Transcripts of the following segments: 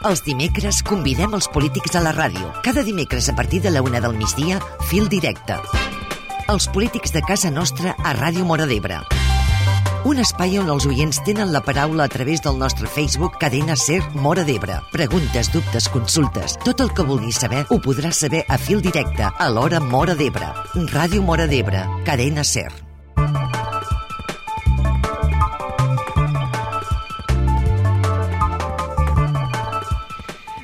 Els dimecres convidem els polítics a la ràdio. Cada dimecres a partir de la 1 del migdia, Fil Directe. Els polítics de casa nostra a Ràdio Móra d'Ebre. Un espai on els oients tenen la paraula a través del nostre Facebook Cadena Ser Móra d'Ebre. Preguntes, dubtes, consultes, tot el que vulguis saber ho podràs saber a Fil Directe a l'hora Móra d'Ebre. Ràdio Móra d'Ebre, Cadena Ser.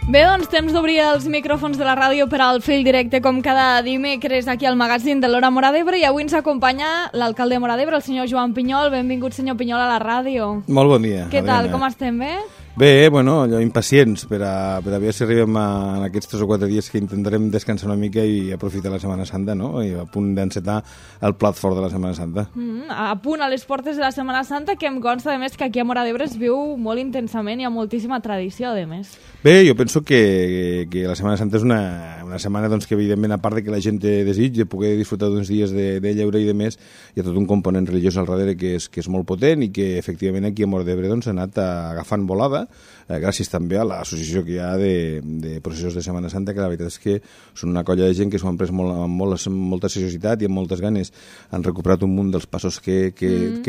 Bé, doncs temps d'obrir els micròfons de la ràdio per al Fil Directe com cada dimecres aquí al magazín de l'Hora Móra d'Ebre, i avui ens acompanya l'alcalde de Móra d'Ebre, el senyor Joan Pinyol. Benvingut, senyor Pinyol, a la ràdio. Molt bon dia. Què tal, com estem, bé? Bé, bueno, allò, impacients per a veure si arribem en aquests 3 o 4 dies que intentarem descansar una mica i aprofitar la Setmana Santa, no? I a punt d'encetar el plat fort de la Setmana Santa. A punt a les portes de la Setmana Santa, que em consta, a més, que aquí a Móra d'Ebre es viu molt intensament i hi ha moltíssima tradició, a més. Bé, jo penso que la Setmana Santa és una setmana doncs, que, evidentment, a part de que la gent té desig de poder disfrutar d'uns dies de lleure i de més, hi ha tot un component religiós al darrere que és molt potent i que, efectivament, aquí a Móra d'Ebre doncs, ha anat agafant volada, gràcies també a l'associació que hi ha de processos de Setmana Santa, que la veritat és que són una colla de gent que s'ho han pres amb molta seriositat i amb moltes ganes. Han recuperat un munt dels passos que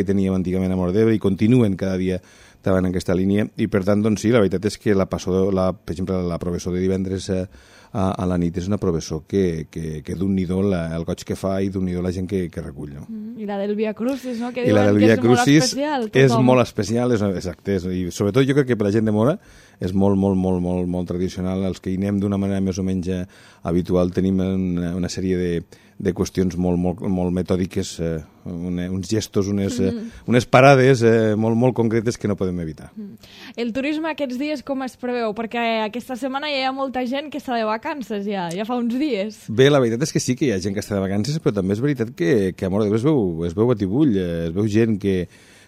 teníem antigament a Móra d'Ebre i continuen cada dia davant en aquesta línia, i per tant, doncs sí, la veritat és que per exemple, la professó de divendres a la nit és una professó que d'un-n'hi-do el goig que fa i d'un-n'hi-do la gent que recull. No? I la del Via Crucis, no? Que I la del Via Crucis és molt especial, exacte, i sobretot jo crec que per la gent de Móra és molt tradicional. Els que hi anem d'una manera més o menys habitual tenim una sèrie de qüestions molt metòdiques, uns gestos, unes parades molt concretes que no podem evitar. El turisme aquests dies com es preveu? Perquè aquesta setmana ja hi ha molta gent que està de vacances, ja fa uns dies. Bé, la veritat és que sí que hi ha gent que està de vacances, però també és veritat que a Móra d'Ebre es veu batibull, es veu gent que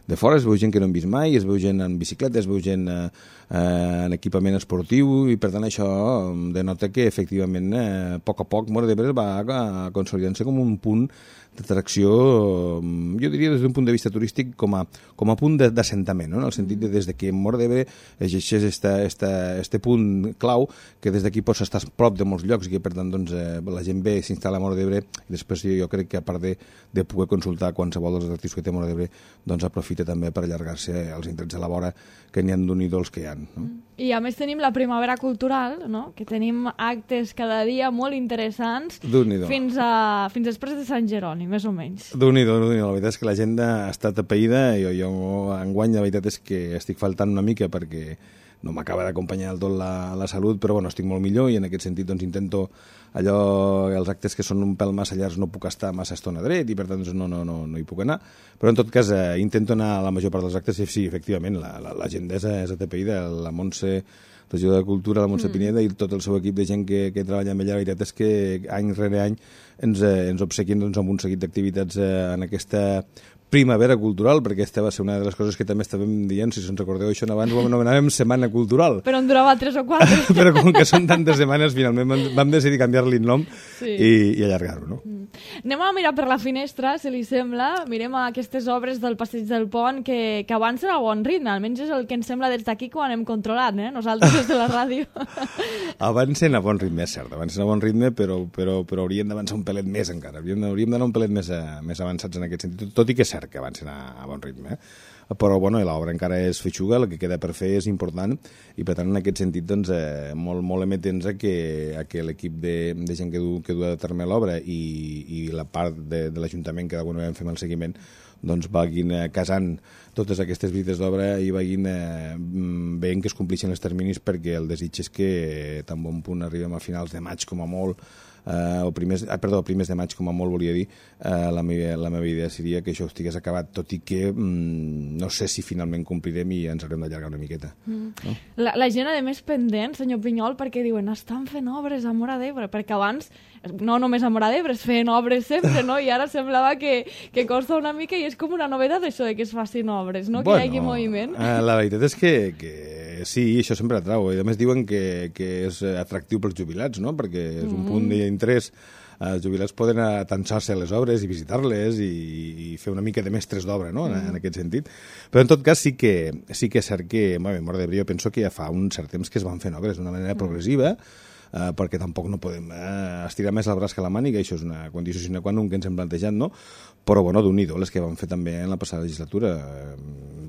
de fora, es veu gent que no hem vist mai, es veu gent en bicicleta, es veu gent en equipament esportiu, i per tant això denota que efectivament a poc Móra d'Ebre va consolidant-se com un punt d'atracció, jo diria des d'un punt de vista turístic com a punt d'assentament, no? En el sentit de des que Móra d'Ebre exigeix este punt clau, que des d'aquí pots estar prop de molts llocs i que per tant doncs, la gent ve, s'instal·la a Móra d'Ebre, i després jo crec que a part de poder consultar qualsevol dels atractius que té Móra d'Ebre, doncs aprofita també per allargar-se els indrets a la vora, que n'hi ha d'un-i-do els que hi ha. No? I a més tenim la primavera cultural, no? Que tenim actes cada dia molt interessants fins després de Sant Jeroni, més o menys. Déu-n'hi-do, la veritat és que la gent ha estat apaïda, i jo enguany la veritat és que estic faltant una mica perquè no m'acaba d'acompanyar del tot la salut, però bueno, estic molt millor, i en aquest sentit doncs, intento els actes que són un pèl massa llargs no puc estar massa estona dret i per tant doncs, no hi puc anar, però en tot cas intento anar a la major part dels actes, i sí, efectivament, la gent és atapeïda, la Montse, regidora de Cultura, la Montse Pineda, i tot el seu equip de gent que treballa amb ella. La veritat és que any rere any ens obsequien doncs, amb un seguit d'activitats en aquesta primavera cultural, perquè aquesta va ser una de les coses que també estàvem dient, si se'n recordeu això abans, ho anomenàvem Setmana Cultural. Però en durava 3 o 4. Però com que són tantes setmanes, finalment vam decidir canviar-li el nom i allargar-ho, no? Anem a mirar per la finestra, si li sembla. Mirem aquestes obres del Passeig del Pont que avancen a bon ritme, almenys és el que ens sembla des d'aquí quan hem controlat, nosaltres des de la ràdio. Avancen a bon ritme, és cert, avancen a bon ritme, però haurien d'avançar un pelet més encara, hauríem d'anar un pelet més avançats en aquest sentit, tot i que és cert que avancen a bon ritme, però bueno, l'obra encara és feixuga, el que queda per fer és important, i per tant en aquest sentit doncs, molt emetents a que l'equip de gent que du a terme l'obra i la part de l'Ajuntament que d'alguna manera fem el seguiment doncs vagin casant totes aquestes visites d'obra i vagin veient que es compleixen els terminis, perquè el desig és que tan bon punt arribem a finals de maig com a molt, primers de maig com a molt, volia dir, la meva idea seria que això estigués acabat, tot i que no sé si finalment complirem i ens haurem d'allargar una miqueta. No? La gent, a més, pendent, senyor Pinyol, perquè diuen, estan fent obres a Móra d'Ebre, perquè abans, no només a Móra d'Ebre, es feien obres sempre, no? I ara semblava que costa una mica, i és com una novetat això de que es facin obres, no? Que hi hagi moviment. La veritat és que sí, això sempre atrau. I a més diuen que és atractiu pels jubilats, no? Perquè és un punt d'interès els jubilats poden atansar-se a les obres i visitar-les i fer una mica de mestres d'obra, no?, en aquest sentit. Però en tot cas sí que és cert que, bueno, Móra d'Ebre jo penso que ja fa un cert temps que es van fent obres d'una manera progressiva, perquè tampoc no podem estirar més el braç que la màniga, això és una condició sine qua non que ens hem plantejat, no? Però, bueno, d'un-i-do, les que vam fer també en la passada legislatura,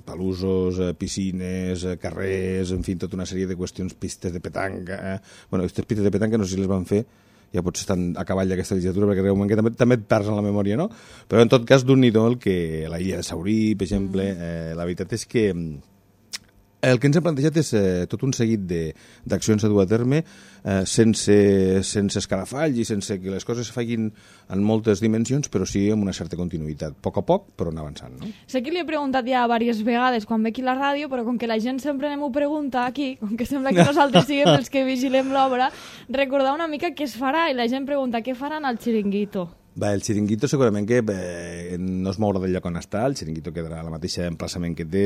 palusos, piscines, carrers, en fi, tota una sèrie de qüestions, pistes de petanca. Bueno, aquestes pistes de petanca no sé si les van fer, ja potser estan a cavall d'aquesta legislatura, perquè realment que també et perds en la memòria, no? Però, en tot cas, d'un-i-do la illa de Saurí, per exemple, la veritat és que el que ens hem plantejat és tot un seguit d'accions a dur a terme sense escarafalls i sense que les coses es facin en moltes dimensions, però sí amb una certa continuïtat. A poc, però anar avançant, no? Sé que li he preguntat ja diverses vegades quan ve aquí a la ràdio, però com que la gent sempre anem ho pregunta aquí, com que sembla que nosaltres siguem els que vigilem l'obra, recordar una mica què es farà, i la gent pregunta què faran al Chiringuito. Bé, el Chiringuito segurament que no es mourà del lloc on està, el Chiringuito quedarà al mateix emplaçament que té.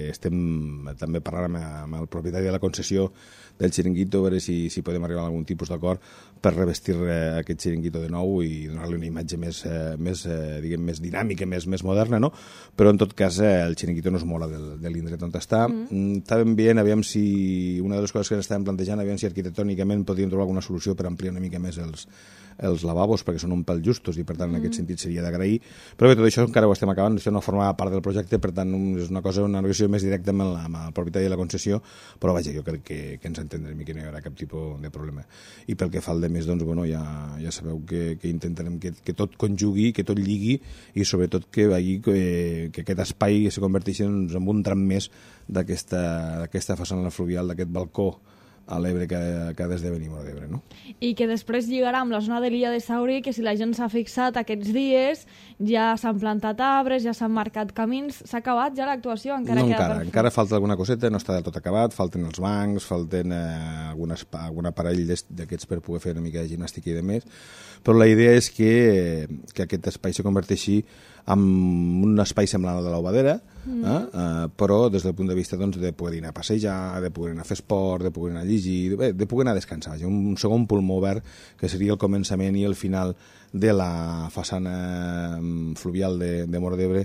Estem també parlant amb el propietari de la concessió del Chiringuito, a veure si podem arribar a algun tipus d'acord per revestir aquest Chiringuito de nou i donar-li una imatge més dinàmica, més moderna, no? Però en tot cas el Chiringuito no es mourà de l'indret on està. Estàvem veient, aviam si una de les coses que ens estàvem plantejant, aviam si arquitectònicament podríem trobar alguna solució per ampliar una mica més els lavabos, perquè són un pèl justos i per tant en aquest sentit seria d'agrair, però bé, tot això encara ho estem acabant, això no forma part del projecte, per tant és una negociació més directa amb el propietari de la concessió, però vaja, jo crec que ens entendrem i que no hi haurà cap tipus de problema. I pel que fa al de més, doncs, bueno, ja sabeu que intentarem que tot conjugui, que tot lligui i sobretot que aquest espai se converteixi en un tram més d'aquesta façana fluvial, d'aquest balcó a l'Ebre que ha d'esdevenir Móra d'Ebre, no? I que després lligarà amb la zona de l'illa de Saurí, que si la gent s'ha fixat aquests dies, ja s'han plantat arbres, ja s'han marcat camins, s'ha acabat ja l'actuació? Encara falta alguna coseta, no està del tot acabat, falten els bancs, falten algun aparell d'aquests per poder fer una mica de gimnàstica i de més, però la idea és que aquest espai se converteixi en un espai semblant al de l'Obadera, però des del punt de vista de poder anar a passejar, de poder anar a fer esport, de poder anar a llegir, de poder anar a descansar. Un segon pulmó verd que seria el començament i el final de la façana fluvial de Móra d'Ebre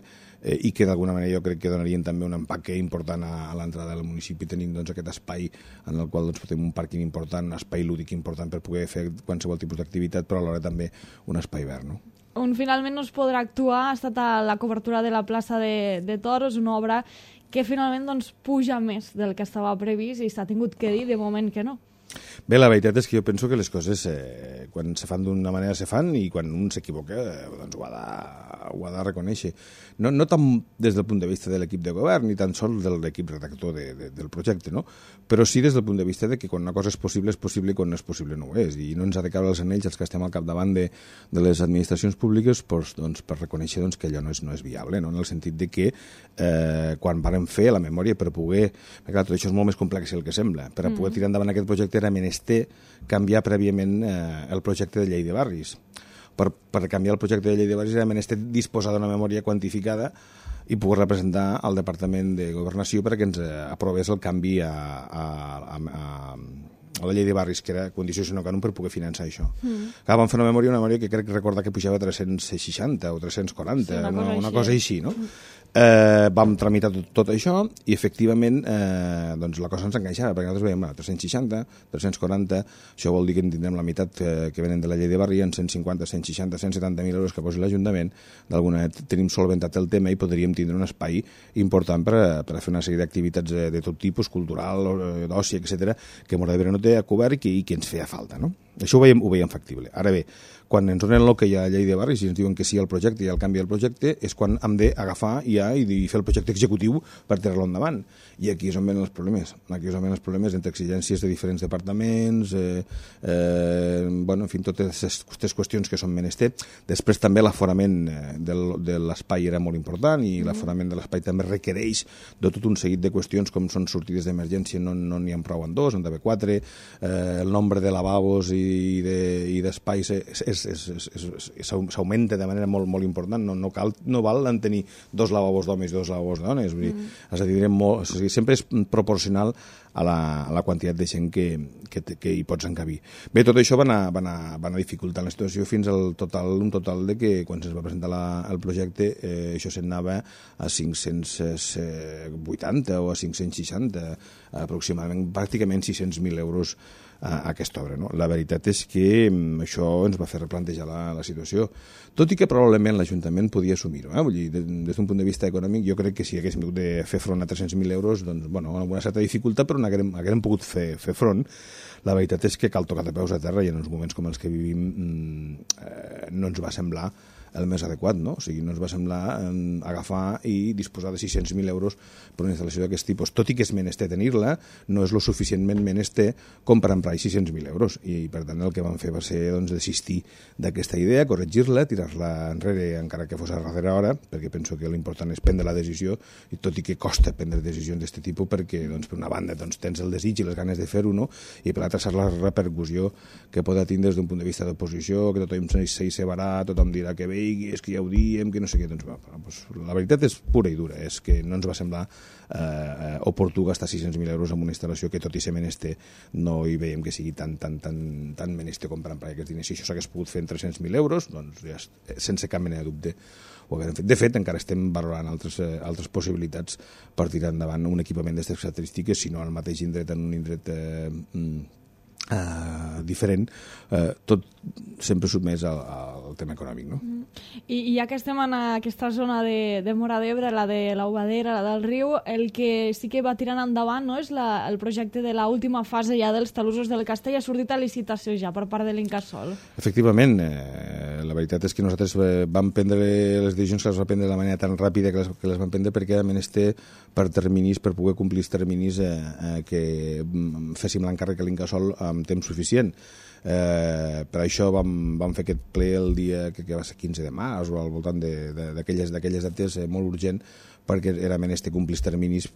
i que d'alguna manera jo crec que donarien també un empaque important a l'entrada del municipi, tenint aquest espai en el qual tenim un pàrquing important, un espai lúdic important per poder fer qualsevol tipus d'activitat, però alhora també un espai verd, no? On finalment no es podrà actuar ha estat a la cobertura de la plaça de Toros, una obra que finalment puja més del que estava previst i s'ha tingut que dir de moment que no. Bé, la veritat és que jo penso que les coses quan se fan d'una manera se fan i quan un s'equivoca doncs ho ha de reconèixer. No tant des del punt de vista de l'equip de govern ni tan sols de l'equip redactor del projecte, no? Però sí des del punt de vista de que quan una cosa és possible i quan no és possible no ho és, i no ens ha de caure els anells els que estem al capdavant de les administracions públiques doncs, per reconèixer que allò no és viable, no? En el sentit de que quan vàrem fer la memòria per poder... Perquè clar, tot això és molt més complex del que sembla. Per a poder tirar endavant aquest projecte era menester canviar prèviament el projecte de llei de barris. Per canviar el projecte de llei de barris era menester disposar d'una memòria quantificada i poder representar al Departament de Governació perquè ens aprovés el canvi a la llei de barris, que era condició sine qua non per poder finançar això. Clar, vam fer una memòria que crec recordar que pujava a 360 o 340, sí, una cosa així, no? Vam tramitar tot això i efectivament doncs la cosa ens enganxava, perquè nosaltres veiem 360, 340, això vol dir que en tindrem la meitat que venen de la llei de barri, en 150, 160, 170.000 euros que posi l'Ajuntament. D'alguna manera tenim solventat el tema i podríem tindre un espai important per a fer una sèrie d'activitats de tot tipus, cultural, d'oci, etc., que Móra d'Ebre no té a cobert i que ens feia falta, no? Això ho veiem factible. Ara bé, quan ens donen l'ok a la llei de barris i ens diuen que sí al projecte i al canvi del projecte, és quan hem d'agafar i fer el projecte executiu per tirar-lo endavant. I aquí és on venen els problemes. Aquí és on venen els problemes entre exigències de diferents departaments, en fi, totes aquestes qüestions que són menester. Després també l'aforament de l'espai era molt important i l'aforament de l'espai també requereix de tot un seguit de qüestions com són sortides d'emergència, no n'hi ha prou en 2, en d'haver 4, el nombre de lavabos i d'espais s'augmenta de manera molt, molt important. No val en tenir 2 lavabos d'homes i 2 lavabos de dones. És a dir, sempre és proporcional a la quantitat de gent que hi pots encabir. Bé, tot això va anar dificultant la situació fins un total de que quan es va presentar el projecte això s'anava a 580 o a 560 aproximadament, pràcticament 600.000 euros a aquesta obra. No? La veritat és que això ens va fer replantejar la situació, tot i que probablement l'Ajuntament podia assumir-ho. Vull dir, des d'un punt de vista econòmic, jo crec que si haguéssim hagut de fer front a 300.000 euros, doncs, bueno, amb una certa dificultat, però haguérem pogut fer front. La veritat és que cal tocar de peus a terra i en uns moments com els que vivim no ens va semblar el més adequat, no? O sigui, no ens va semblar agafar i disposar de 600.000 euros per una instal·lació d'aquest tipus. Tot i que és menester tenir-la, no és lo suficientment menester com per emprar 600.000 euros. I, per tant, el que vam fer va ser desistir d'aquesta idea, corregir-la, tirar-la enrere, encara que fos a darrera hora, perquè penso que l'important és prendre la decisió, i tot i que costa prendre decisions d'aquest tipus, perquè, per una banda, tens el desig i les ganes de fer-ho, no? I per l'altra, saps la repercussió que pot tindre des d'un punt de vista d'oposició, que tothom s'hi tothom dirà que bé, és que ja ho diem, que no sé què. Doncs, la veritat és pura i dura, és que no ens va semblar oportú gastar 600.000 euros en una instal·lació que tot i ser menester no hi veiem que sigui tan menester com per emprar aquests diners. Si això s'hagués pogut fer en 300.000 euros, doncs ja, sense cap mena de dubte ho haguem fet. De fet, encara estem valorant altres possibilitats per tirar endavant un equipament d'aquestes característiques, si no al mateix indret, en un indret diferent, tot sempre sotmès al tema econòmic, no? I ja que estem en aquesta zona de Móra d'Ebre, la de l'Aubadera, la del riu, el que sí que va tirant endavant, no, és el projecte de l'última fase ja dels talussos del castell. Ha sortit a licitació ja per part de l'Incasòl. Efectivament, la veritat és que nosaltres vam prendre les decisions que les vam prendre de la manera tan ràpida que les vam prendre perquè era menester per terminis, per poder complir els terminis que féssim l'encàrrec a l'Incasòl amb temps suficient. Per això vam fer aquest ple el dia que va ser 15 de març o al voltant d'aquelles dates molt urgent, perquè era menester complir els terminis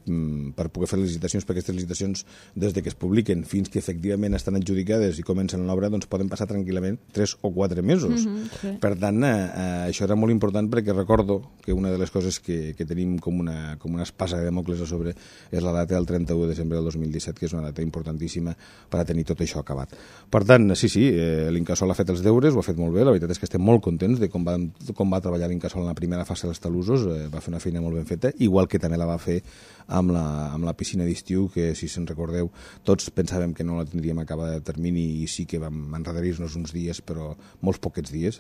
per poder fer les licitacions, perquè aquestes licitacions, des que es publiquen fins que efectivament estan adjudicades i comencen l'obra, doncs poden passar tranquil·lament 3 o 4 mesos. Sí. Per tant, això era molt important, perquè recordo que una de les coses que tenim com una espasa de Dàmocles a sobre és la data del 31 de desembre del 2017, que és una data importantíssima per a tenir tot això acabat. Per tant, sí, l'Incasòl ha fet els deures, ho ha fet molt bé, la veritat és que estem molt contents de com va treballar l'Incasòl en la primera fase dels talussos, va fer una feina molt ben feta, igual que també la va fer amb la piscina d'estiu, que si se'n recordeu tots pensàvem que no la tindríem acabada de termini i sí que vam enrederir-nos uns dies, però molts poquets dies,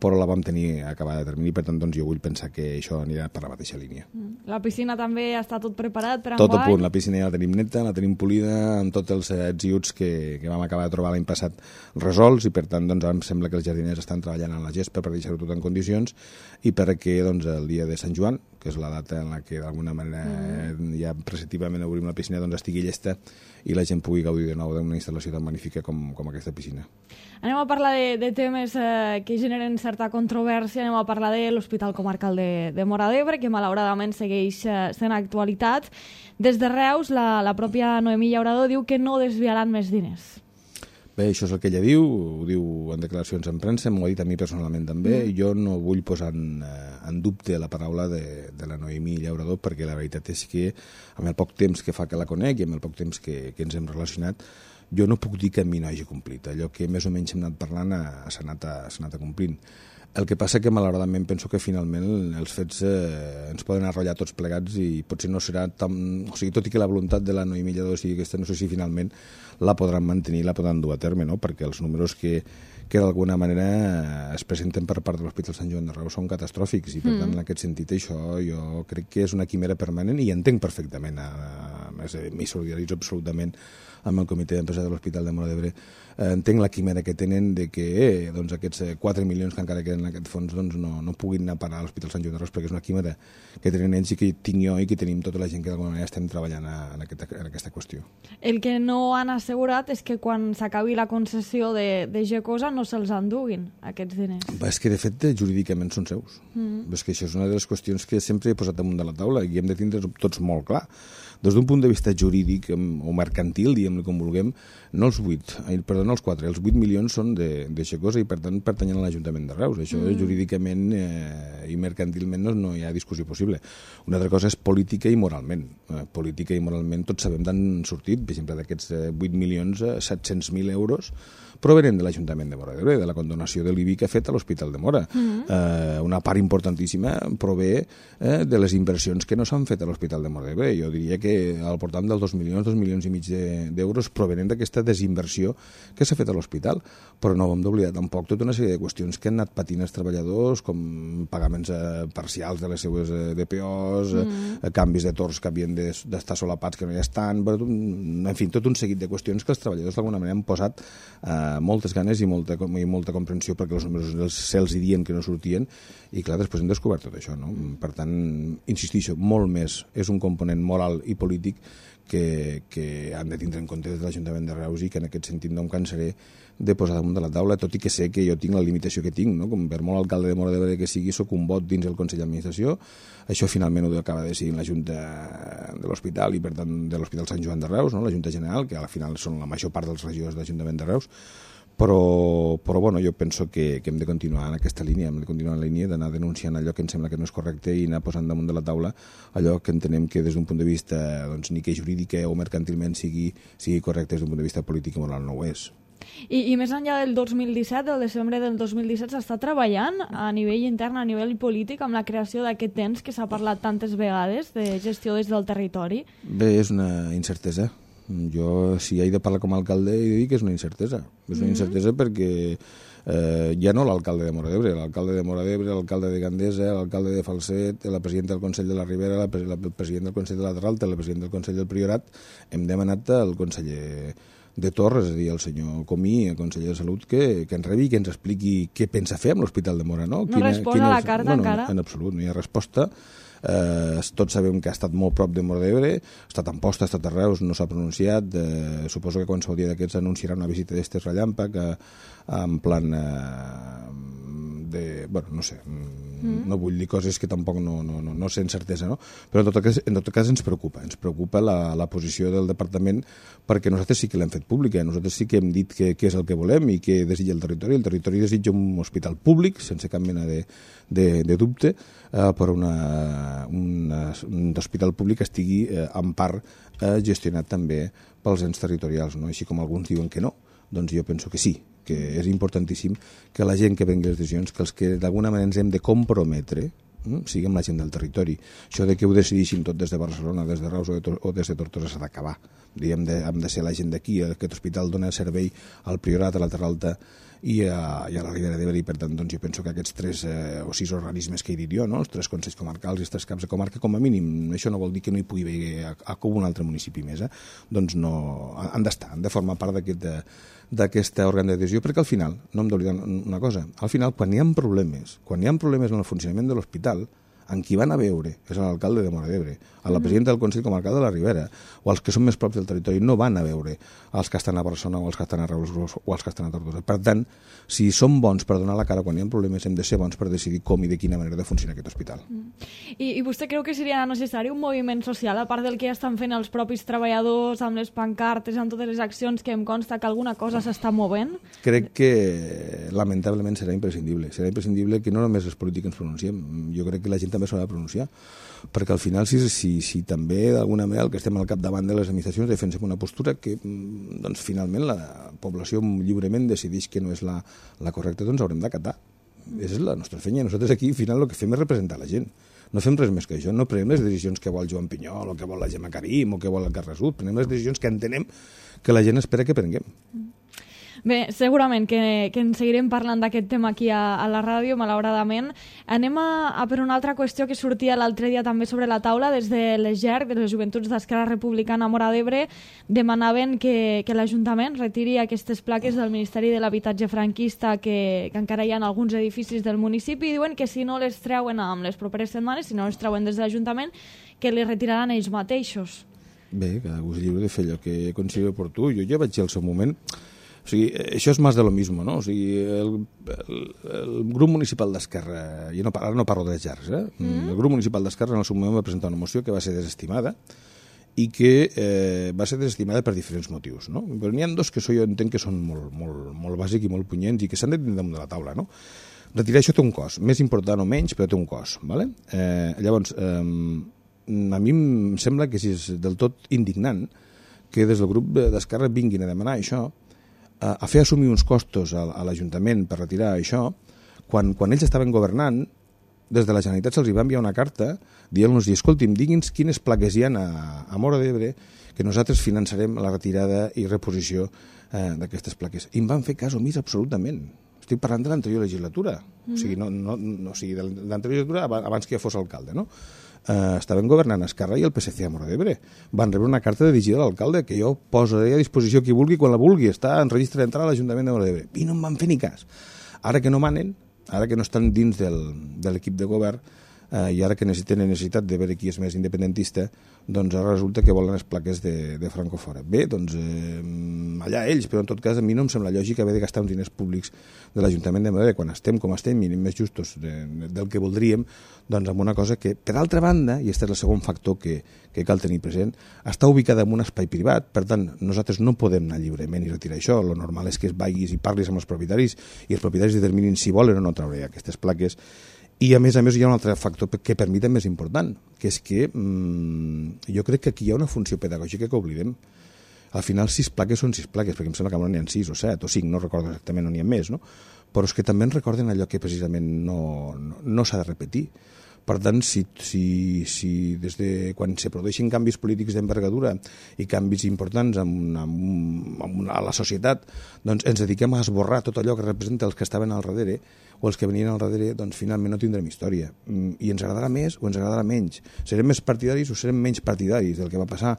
però la vam tenir acabada de termini, per tant doncs jo vull pensar que això anirà per la mateixa línia. La piscina també està tot preparat per enguany? Tot a punt, la piscina ja la tenim neta, la tenim polida, amb tots els ets i uts que vam acabar de trobar l'any passat resolts, i per tant doncs ara em sembla que els jardiners estan treballant en la gespa per deixar-ho tot en condicions, i perquè doncs el dia de Sant Joan, que és la data en la que d'alguna manera ja preceptivament obrim la piscina, doncs estigui llesta i la gent pugui gaudir de nou d'una instal·lació tan magnífica com aquesta piscina. Anem a parlar de temes que generen certa controvèrsia. Anem a parlar de l'Hospital Comarcal de Móra d'Ebre, que malauradament segueix sent actualitat. Des de Reus, la pròpia Noemí Llaurador diu que no desviaran més diners. Bé, això és el que ella diu, ho diu en declaracions en premsa, m'ho ha dit a mi personalment també. Jo no vull posar en dubte la paraula de la Noemí Llaurador, perquè la veritat és que amb el poc temps que fa que la conec i amb el poc temps que ens hem relacionat, jo no puc dir que a mi no hagi complit. Allò que més o menys hem anat parlant s'ha anat complint. El que passa que malauradament penso que finalment els fets ens poden arrollar tots plegats i potser no serà tan... O sigui, tot i que la voluntat de la Noemí Llaurador sigui aquesta, no sé si finalment la podran mantenir, la podran dur a terme, no? Perquè els números que d'alguna manera es presenten per part de l'Hospital Sant Joan de Reus són catastròfics, i per tant en aquest sentit això jo crec que és una quimera permanent, i entenc perfectament, m'hi solidaritzo absolutament amb el comitè d'empresa de l'Hospital de Móra d'Ebre, entenc la quimera que tenen de que aquests 4 milions que encara queden en aquest fons no puguin anar a parar a l'Hospital Sant Joan de Reus, perquè és una quimera que tenen ells i que tinc jo i que tenim tota la gent que d'alguna manera estem treballant en aquesta qüestió. El que no han assegurat és que quan s'acabi la concessió de Gecosa no se'ls enduguin aquests diners. És que de fet jurídicament són seus. És que això és una de les qüestions que sempre he posat damunt de la taula i hem de tindre tots molt clar. Des d'un punt de vista jurídic o mercantil, diguem-ne com vulguem, no els 4, els 8 milions són d'eixa cosa i per tant pertanyen a l'Ajuntament de Reus. Això jurídicament i mercantilment no hi ha discussió possible. Una altra cosa és política i moralment. Política i moralment tots sabem d'on han sortit, per exemple, d'aquests 8 milions, 700.000 euros provenen de l'Ajuntament de Móra d'Ebre, de la condonació de l'IBI que ha fet a l'Hospital de Móra. Una part importantíssima prové de les inversions que no s'han fet a l'Hospital de Móra d'Ebre. Jo diria que al voltant dels 2 milions i mig d'euros provenen d'aquesta desinversió que s'ha fet a l'hospital, però no hem d'oblidar tampoc tota una sèrie de qüestions que han anat patint els treballadors, com pagaments parcials de les seues DPOs, canvis de torns que havien d'estar solapats que no hi estan, en fi, tot un seguit de qüestions que els treballadors d'alguna manera han posat moltes ganes i molta comprensió perquè els números se'ls diuen que no sortien i clar, després hem descobert tot això, no? Per tant, insistixo, molt més és un component moral i polític que han de tindre en compte des de l'Ajuntament de Reus i que en aquest sentit no em cansaré de posar damunt de la taula, tot i que sé que jo tinc la limitació que tinc, no? Com per molt alcalde de Móra d'Ebre que sigui, soc un vot dins el Consell d'Administració, això finalment ho acaba decidir la Junta de l'Hospital i per tant de l'Hospital Sant Joan de Reus, no? La Junta General, que al final són la major part dels regidors de l'Ajuntament de Reus, però bueno, jo penso que hem de continuar en aquesta línia, hem de continuar en la línia d'anar denunciant allò que em sembla que no és correcte i anar posant damunt de la taula allò que entenem que des d'un punt de vista doncs, ni que jurídic o mercantilment sigui correcte, des d'un punt de vista polític i moral no ho és. I més enllà del 2017, del desembre del 2017, s'està treballant a nivell intern, a nivell polític, amb la creació d'aquest ens que s'ha parlat tantes vegades de gestió des del territori? Bé, és una incertesa. Jo, si he de parlar com a alcalde, he de dir que és una incertesa. És una incertesa perquè ja no l'alcalde de Móra d'Ebre, l'alcalde de Móra d'Ebre, l'alcalde de Gandesa, l'alcalde de Falset, la presidenta del Consell de la Ribera, el president del Consell de la Terralta, el president del Consell del Priorat, hem demanat al conseller de Torres, és a dir, el senyor Comí, el conseller de Salut, que ens rebi i que ens expliqui què pensa fer amb l'Hospital de Móra. No resposa a la carta encara? En absolut, no hi ha resposta. Tots sabem que ha estat molt prop de Móra d'Ebre, ha estat a Amposta, ha estat a Reus, no s'ha pronunciat, suposo que qualsevol dia d'aquests anunciarà una visita d'estes relàmpag en plan bueno, no sé, no vull dir coses que tampoc no sé en certesa, no? Però en tot cas ens preocupa la posició del departament perquè nosaltres sí que l'hem fet pública, nosaltres sí que hem dit què és el que volem i què desitja el territori desitja un hospital públic, sense cap mena de dubte, però un hospital públic que estigui en part gestionat també pels ens territorials, no? Així com alguns diuen que no, doncs jo penso que sí, que és importantíssim que la gent que prengui les decisions, que els que d'alguna manera ens hem de comprometre, siguem la gent del territori. Això de que ho decideixin tot des de Barcelona, des de Reus o des de Tortosa s'ha d'acabar. Hem de ser la gent d'aquí, aquest hospital dona servei al Priorat, a la Terralta i a la Ribera d'Ebre, i per tant doncs, jo penso que aquests 3 o 6 organismes que he dit jo, no? Els 3 consells comarcals i els 3 caps de comarca, com a mínim, això no vol dir que no hi pugui haver a un altre municipi més, doncs no, han d'estar, han de formar part d'aquesta òrgan de decisió, perquè al final, no hem d'oblidar una cosa, al final quan hi ha problemes en el funcionament de l'hospital, en qui van a veure és l'alcalde de Móra d'Ebre, a la presidenta del Consell Comarcal de la Ribera, o els que són més props del territori, no van a veure els que estan a Barcelona o els que estan a Reus o els que estan a Tortosa. Per tant, si som bons per donar la cara quan hi ha problemes, hem de ser bons per decidir com i de quina manera de funcionar aquest hospital. I vostè creu que seria necessari un moviment social, a part del que ja estan fent els propis treballadors, amb les pancartes, amb totes les accions, que em consta que alguna cosa s'està movent? Crec que, lamentablement, serà imprescindible. Serà imprescindible que no només els polítics ens pronunciem. Jo crec que la gent també s'ha de pronunciar, perquè al final si també d'alguna manera el que estem al capdavant de les administracions defensem una postura que doncs finalment la població lliurement decideix que no és la correcta, doncs haurem d'acatar. És la nostra feina. Nosaltres aquí al final el que fem és representar la gent. No fem res més que això, no prenem les decisions que vol Joan Pinyol o que vol la Gemma Karim o que vol el Carles Sud, prenem les decisions que entenem que la gent espera que prenguem. Bé, segurament que en seguirem parlant d'aquest tema aquí a la ràdio, malauradament. Anem a per una altra qüestió que sortia l'altre dia també sobre la taula. Des de les GERC, de les Joventuts d'Esquerra Republicana a Móra d'Ebre, demanaven que l'Ajuntament retiri aquestes plaques del Ministeri de l'Habitatge franquista que encara hi ha en alguns edificis del municipi, i diuen que si no les treuen amb les properes setmanes, si no les treuen des de l'Ajuntament, que les retiraran ells mateixos. Bé, cadascú és lliure de fer allò que consideri oportú. Jo ja vaig dir al seu moment. O sigui, això és més de lo mismo, no? O sigui, el grup municipal d'Esquerra, ara no parlo de les GERC, el grup municipal d'Esquerra en el seu moment va presentar una moció que va ser desestimada i que va ser desestimada per diferents motius, no? Però n'hi ha dos que jo entenc que són molt bàsics i molt punyents i que s'han de tenir damunt de la taula, no? Retirar això té un cost, més important o menys, però té un cost, ¿vale? Llavors, a mi em sembla que és del tot indignant que des del grup d'Esquerra vinguin a demanar això, a fer assumir uns costos a l'Ajuntament per retirar això, quan ells estaven governant, des de la Generalitat se'ls va enviar una carta dient-los, escolti'm, digui'ns quines plaques hi ha a Móra d'Ebre que nosaltres finançarem la retirada i reposició d'aquestes plaques. I em van fer cas omís absolutament. Estic parlant de l'anterior legislatura, o sigui, de l'anterior legislatura abans que fos alcalde, no? Estaven governant Esquerra i el PSC a Móra d'Ebre. Van rebre una carta dirigida a l'alcalde que jo posaré a disposició qui vulgui quan la vulgui, està en registre d'entrada a l'Ajuntament de Móra d'Ebre. I no em van fer ni cas. Ara que no manen, ara que no estan dins de l'equip de govern i ara que tenen necessitat de veure qui és més independentista, doncs ara resulta que volen les plaques de Franco fora. Bé, doncs allà ells, però en tot cas a mi no em sembla lògic haver de gastar uns diners públics de l'Ajuntament de Madrid quan estem com estem, i més justos del que voldríem, doncs amb una cosa que, per altra banda, i aquest és el segon factor que cal tenir present, està ubicada en un espai privat, per tant, nosaltres no podem anar lliurement i retirar això. Lo normal és que vagis i parlis amb els propietaris i els propietaris determinin si volen o no treure aquestes plaques. I a més hi ha un altre factor que per mi també és important, que és que jo crec que aquí hi ha una funció pedagògica que oblidem. Al final 6 plaques són 6 plaques, perquè em sembla que n'hi ha 6 o 7 o 5, no recordo exactament on n'hi ha més, no? Però és que també ens recorden allò que precisament no s'ha de repetir. Per tant, si des de quan se produeixen canvis polítics d'envergadura i canvis importants a la societat, doncs ens dediquem a esborrar tot allò que representa els que estaven al darrere o els que venien al darrere, doncs finalment no tindrem història. I ens agradarà més o ens agradarà menys. Serem més partidaris o serem menys partidaris del que va passar.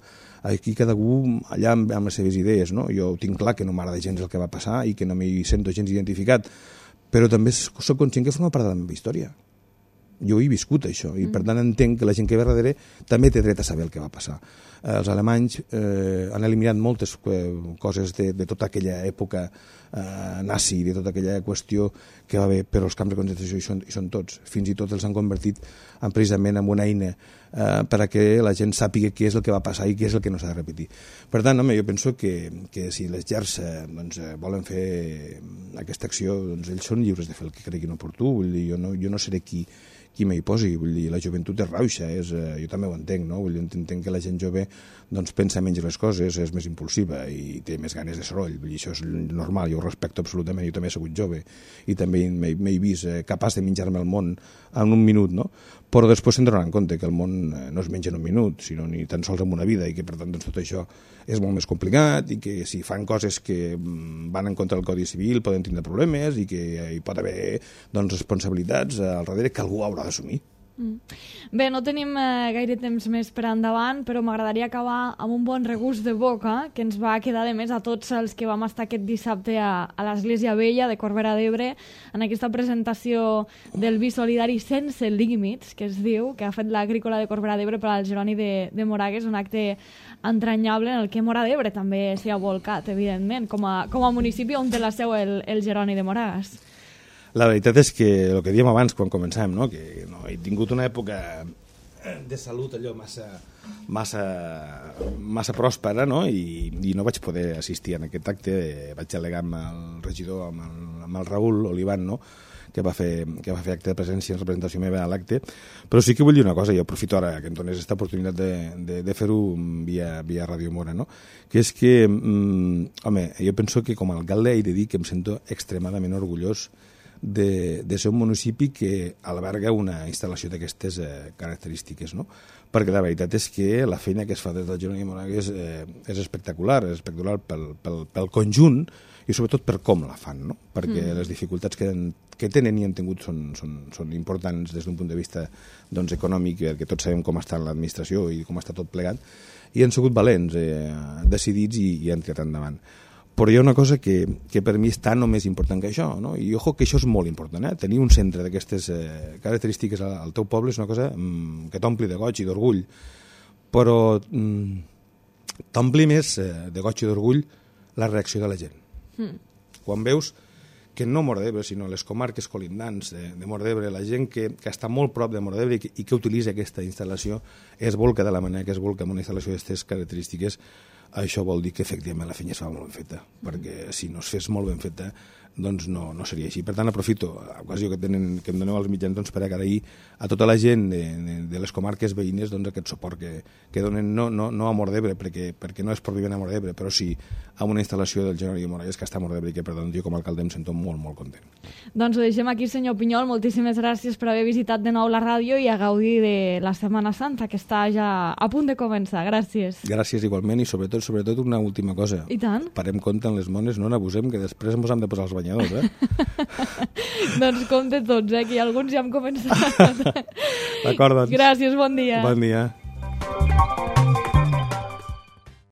Aquí cadascú allà amb les seves idees, no? Jo tinc clar que no m'agrada gens el que va passar i que no m'hi sento gens identificat, però també soc conscient que forma part de la meva història. Jo he viscut això i per tant entenc que la gent que ve darrere també té dret a saber el que va passar. Els alemanys han eliminat moltes coses de tota aquella època nazi, de tota aquella qüestió que va haver, però els camps de concentració hi són tots. Fins i tot els han convertit precisament en una eina per a que la gent sàpiga què és el que va passar i què és el que no s'ha de repetir. Per tant, home, jo penso que si les llars volen fer aquesta acció, doncs ells són lliures de fer el que creguin oportú. Vull dir, jo no seré qui m'hi posi, vull dir, la joventut és rauxa, jo també ho entenc, no? Vull dir, entenc que la gent jove doncs, pensa menys les coses, és més impulsiva i té més ganes de soroll, vull dir, això és normal, jo ho respecto absolutament, jo també he sigut jove i també m'he vist capaç de menjar-me el món en un minut, no? Però després se'n donaran compte que el món no es menja en un minut, sinó ni tan sols en una vida, i que per tant doncs, tot això és molt més complicat i que si fan coses que van en contra del Codi Civil poden tindre problemes i que hi pot haver doncs, responsabilitats al darrere que algú haurà d'assumir. Bé, no tenim gaire temps més per endavant, però m'agradaria acabar amb un bon regust de boca que ens va quedar de més a tots els que vam estar aquest dissabte a l'Església Vella de Corbera d'Ebre en aquesta presentació del vi solidari sense límits, que es diu, que ha fet l'Agrícola de Corbera d'Ebre per al Jeroni de Moragues, un acte entranyable en el que Móra d'Ebre també s'hi ha volcat, evidentment, com a municipi on té la seu el Jeroni de Moragues. La veritat és que el que dèiem abans quan començàvem, no? Que no, he tingut una època de salut allò massa pròspera, no? I no vaig poder assistir en aquest acte. Vaig al·legar amb el regidor, amb el Raül Olivan, no? que va fer acte de presència en representació meva a l'acte, però sí que vull dir una cosa, i aprofito ara que em dones aquesta oportunitat de fer-ho via Ràdio Mora, no? Que és que, home, jo penso que com a alcalde he de dir que em sento extremadament orgullós de ser un municipi que alberga una instal·lació d'aquestes característiques, no? Perquè la veritat és que la feina que es fa des del Jeroni de Moragues és espectacular pel conjunt i sobretot per com la fan, no? Perquè les dificultats que tenen i han tingut són importants des d'un punt de vista doncs, econòmic, perquè tots sabem com està l'administració i com està tot plegat, i han sigut valents, decidits i han tirat endavant. Però hi ha una cosa que per mi és tan o més important que això, no? I ojo que això és molt important, tenir un centre d'aquestes característiques al teu poble és una cosa que t'ompli de goig i d'orgull, però t'ompli més de goig i d'orgull la reacció de la gent. Quan veus que no Móra d'Ebre, sinó les comarques colindants de Móra d'Ebre, la gent que està molt prop de Móra d'Ebre i que utilitza aquesta instal·lació es volca de la manera que es volca amb una instal·lació d'aquestes característiques. Això vol dir que efectivament la feina es fa molt ben feta, perquè si no es fes molt ben feta doncs no seria així. Per tant, aprofito l'ocasió que em doneu als mitjans doncs, per agrair a tota la gent de les comarques veïnes doncs, aquest suport que donen no a Móra d'Ebre, perquè no és per viure a Móra d'Ebre, però sí a una instal·lació del General Moragues que està a Móra d'Ebre i que, per tant, jo com a alcalde em sento molt, molt content. Doncs ho deixem aquí, senyor Pinyol. Moltíssimes gràcies per haver visitat de nou la ràdio i a gaudir de la Setmana Santa, que està ja a punt de començar. Gràcies. Gràcies igualment i sobretot una última cosa. I tant. Parem compte en les mones, no n'abusem, que després ens hem de posar els banyadors, Doncs compte tots, que alguns ja hem començat. D'acord, doncs. Gràcies, bon dia. Bon dia.